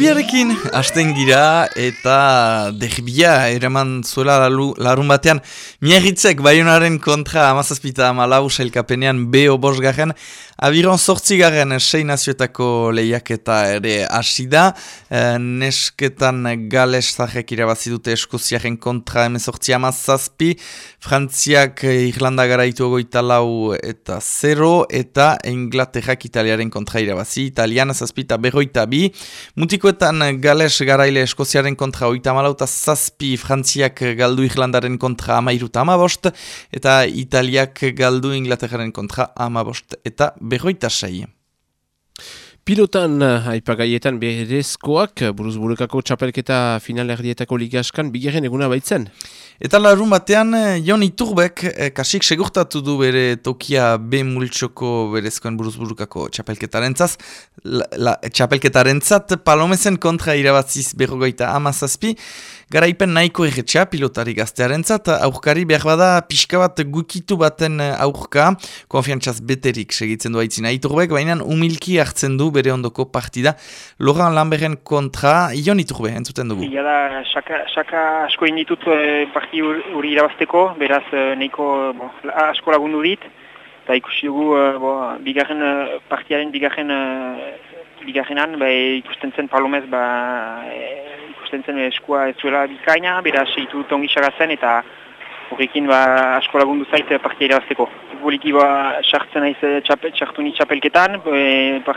Derbiarekin hasten gira eta derbia eraman zuela larun batean Miarritzek Baionaren kontra 17-14 sailkapenean B.O. bosgarren abiron 8 sei nazioetako lehiaketa ere hasi da. Nesketan Galestarrek irabazi dute Eskoziaren kontra 18-17, Frantziak Irlanda garaitu 24 eta 0 eta Inglaterrak Italiaren kontra irabazi, Italian 7-42. Mutikoetan Gales garaile Eskoziaren kontra 34 eta 7, Frantziak galdu Irlandaren kontra 13-15 eta Italiak galdu Inglaterraren kontra 15 eta 26. Pilotan aipagaietan berezkoak buruz-burukako txapelketa finalerdietako ligaskan bigarren eguna baitzen. Eta larun batean, Jon Iturbek kasik segurtatu du bere tokia B multxoko berezkoen buruz-burukako txapelketarentzat. Txapelketarentzat Palomezen kontra irabaziz 57, garaipen nahiko erretxa pilotari gaztearentzat, aurkari behar bada pixka bat gukitu baten aurka, konfiantzaz beterik segitzen du aitzina Iturbek, baina umilki hartzen du bere ondoko partida. Laurent Lamberren kontra, Jon Iturbe, entzuten dugu. Ia da, saka asko inditut parti hori irabazteko, beraz nahiko asko lagundu dit, eta ikusi dugu bigarren partiaren bigarrenan ikusten zen Palomez ikusten zen eskua ez zuela bikaina, beraz ditut ongi sagatzen eta horrekin asko lagundu zait partia irabazteko. Boliki sartzen naiz sartu ni txapelketan,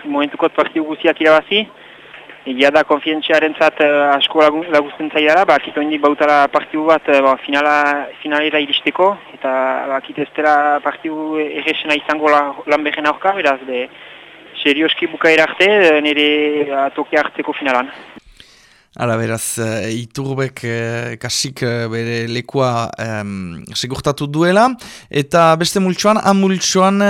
momentukot partiu guziak irabazi. Egia da konfientziarentzat asko lagusten zaidara, kito indik bautara partiu bat finalera iristeko, eta kito ez dela partiu erresena izango Lamberren aurka, beraz, serioski bukaera arte, nire tokia hartzeko finalan. Hala, beraz, Iturbek kasik bere lekua segurtatu duela, eta beste multsoan, multsoan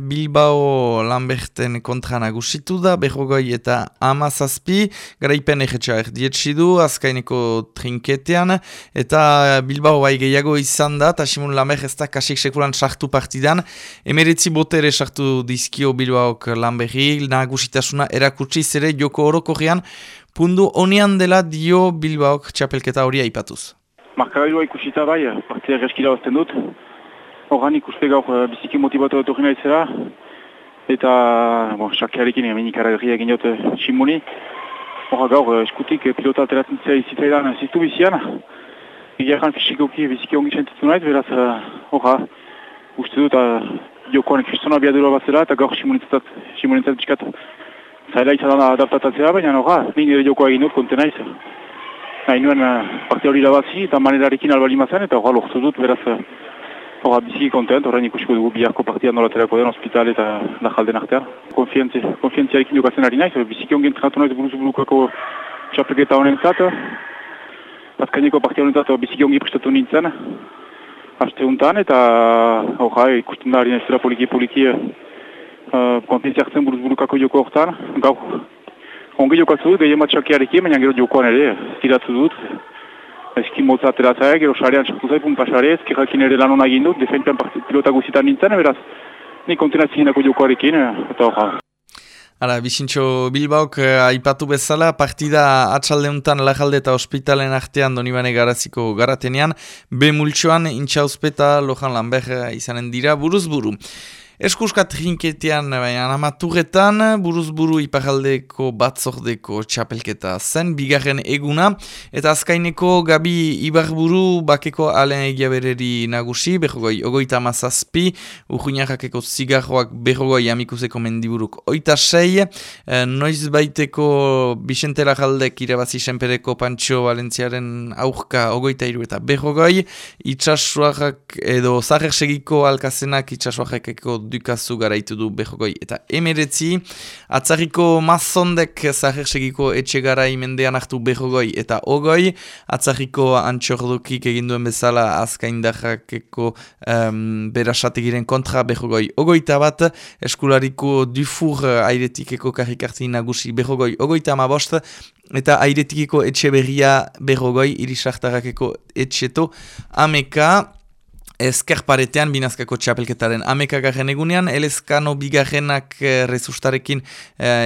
Bilbao Lamberten kontra nagusitu da, 40 eta 17, garaipen erretxa erdietsi du, azkaineko trinketean, eta Bilbao bai gehiago izan da, eta Simon Lambert ez da kasik sekulan sartu partidan, 19 botere sartu dizkio Bilbaok Lamberri, nagusitasuna erakutsi zere joko orokorrean, pundu honian dela dio Bilbaok txapelketa hori aipatuz. Markagailua ikusita bai, partia erreskila bazten dut. Horran ikuste gaur biziki motibatu dut horrena izela. Eta, xakearekin eminik aragarria egin dut Simoni. Horra gaur eskutik pilota ateratzen zitzaidan ziztu bizian. Egeran fisikoki biziki ongi sentitzen naiz, beraz, horra, uste dut jokoan kristona biadura bat zela, eta gaur Simonitzat biskat zaila izan adaptatatzea, baina nire jokoa egin dut konten naiz. Nahi nuen partia hori labazi eta manerarekin albalimazan, eta lortu dut, beraz biziki kontent, horrein ikusiko dugu biharko partia nolaterako den ospital eta najalden artean. Konfientziarekin jokatzen ari naiz, biziki ongen tratatu naiz buruz-burukako txapelketa honentzat. Azkaineko partia honentzat biziki ongi prestatu nintzen, haste untan, eta ikusten da ari naizela poliki konfientzia hartzen buruz-burukako joko hortan. Gaur, ongi jokatzu dut, gehien bat txakiarekin, baina gero jokoan ere, tiratu dut. Ezkin motza ateratzea, gero sarean txartu zai, punpasare, ezkerrakin ere lan hona egin dut, defentean pilota guzitan nintzen, beraz, nik kontenatzinako jokoarekin, eta Ara, Bizintxo Bilbaok aipatu bezala, partida atxaldeuntan Lajalde eta Ospitalen artean Donibane Garaziko garatenean, B multsoan Intxauzpeta Lojan Lambert izanen dira buruz-buru. Eskuskat trinketean, amaturretan, buruz-buru iparaldeko batzordeko txapelketa zen, bigarren eguna, eta azkaineko Gabi Ibarburu bakeko alen egia bereri nagusi, 37, urruñarrakeko zigarroak 40, amikuseko mendiburuk 26, noiz baiteko Bixente Lajaldek irabazi senpereko Pantxo Valentziaren aurka 23 eta 40, itxasuarrak edo zaher segiko alkazenak itxasuarrakeko dukazu garaitu du 40 eta 19, atzarriko Mazondek zaher segiko etxe garai mendean hartu 40 eta 20, atzarriko Antxordokik eginduen bezala azkaindarrakeko berasategiren kontra 40, 21, eskulariko Dufour airetikeko karrikartin nagusi 40, 25, eta airetikiko etxe berria 40, irisartarakeko etxeto ameka. Ezkerparetean binazkako txapelketaren amekagarren egunean, Elezkano bigarrenak rezustarekin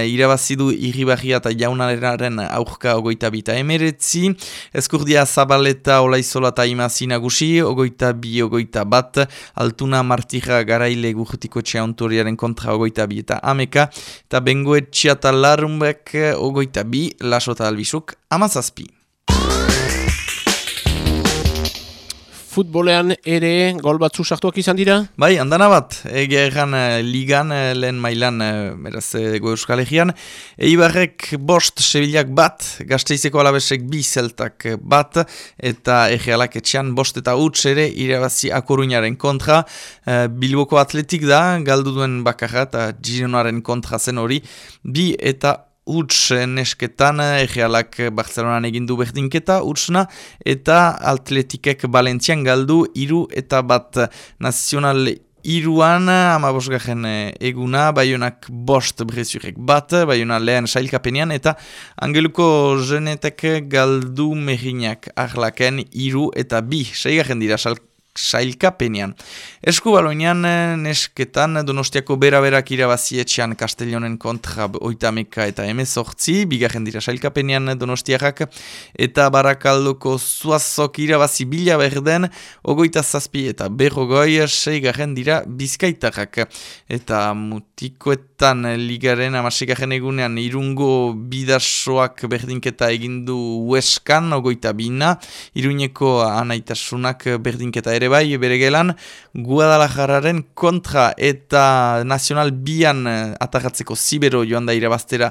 irabazidu Irribarria eta Jaunararen aurka 22-19, Ezkurdia Zabaleta Olaizola eta Imazi nagusi, 22-21, Altuna Martija Garaile Gurtiko Txeontoriaren kontra 22 eta ameka, eta Bengoetxea eta Larrumbek 22, Laso eta Albizuk 17. Futbolean ere gol batzu sartuak izan dira? Bai, andana bat, egia erran ligan, lehen mailan, Ego Euskal Herrian. Eibarrek bost, Sevillak bat, Gasteizeko Alabesek bi Zeltak bat, eta Egealak etxean bost eta huts ere irabazi Akoruñaren kontra. Bilboko Atletik da, galdu duen bakarra eta Gironaren kontra zen hori, bi eta huts nesketan, Egealak Barcelonan egindu berdinketa, hutsna, eta Atletikek Valentzian galdu 3 eta bat nazional iruan, 15. Eguna, Baionak bost Brezurek bat, Baiona lehen sailkapenean, eta Angeluko Jenetek galdu Merinak Arlaken 3 eta 2, 6. dira sailkapenean. Eskubaloinean nesketan Donostiako bera-berak irabazi etxean Castellonen kontra 30 eta 18, 2. dira sailkapenean Donostiarrak, eta Barakaldoko Zuazok irabazi Bilaberden 27 eta 6. dira Bizkaitarrak. Eta mutikoetan ligaren 16. egunean Irungo Bidasoak berdinketa egindu Hueskan 22, Iruñeko Anaitasunak berdinketa ere bai, bere gelan, Guadalajararen kontra eta Nacional Bian atarratzeko Zibero joan da irabaztera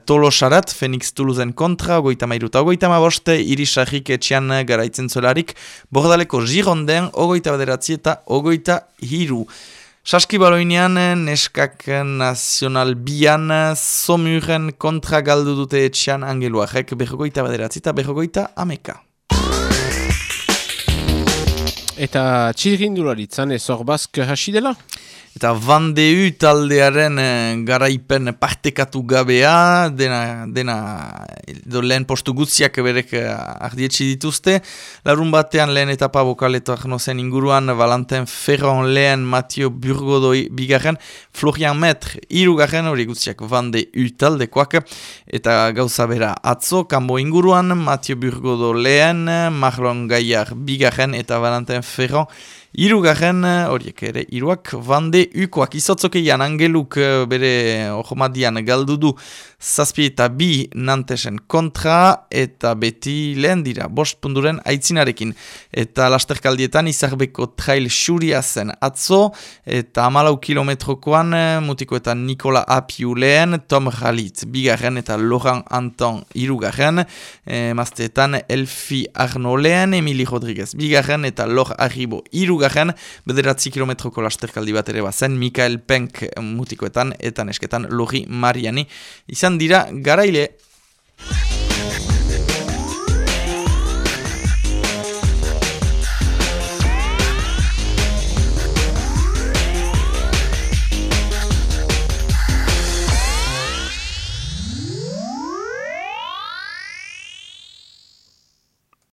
Tolosarat, Fenix Toulousen kontra, 33 eta 35, Irisarrik etxean garaitzen zolarik, Bordaleko Gironden, 29 eta 23. Saskibaloinean, neskak Nacional Bian, Somuren kontra galdu dute etxean Angeluarek, 29 eta 30. Eta txirrindularitzan ez hor bazk hasi dela? Eta Van de U taldearen garaipen partekatu gabea, dena lehen postu gutziak berek ardietxi dituzte. Larun batean lehen etapa bokaleto arnozen inguruan, Valentin Ferron lehen, Mathieu Burgodo bigarren, Florian Metre irugarren, hori gutziak Van de U taldekoak. Eta gauza bera atzo, kanbo inguruan, Mathieu Burgodo lehen, Marlon Gaillard bigarren, eta Valentin Ferron irugarren, horiek ere iruak, Van de Ukoak izotzokeian Angeluk bere ohomadian galdu du 7 eta 2 Nantesen kontra, eta beti lehen dira, 5 punturen aitzinarekin. Eta lasterkaldietan Izarbeko trail xuria zen atzo, eta 14 kilometrokoan mutikoetan Nikola Apiu lehen, Tom Halit bigarren eta Laurent Anton irugarren, mazteetan Elfi Arno lehen, Emili Rodriguez bigarren eta Lor Arribo irugarren, 9 kilometroko lasterkaldi bat ere bazen, Mikael Penk mutikoetan eta nesketan Lori Mariani izan dira garaile.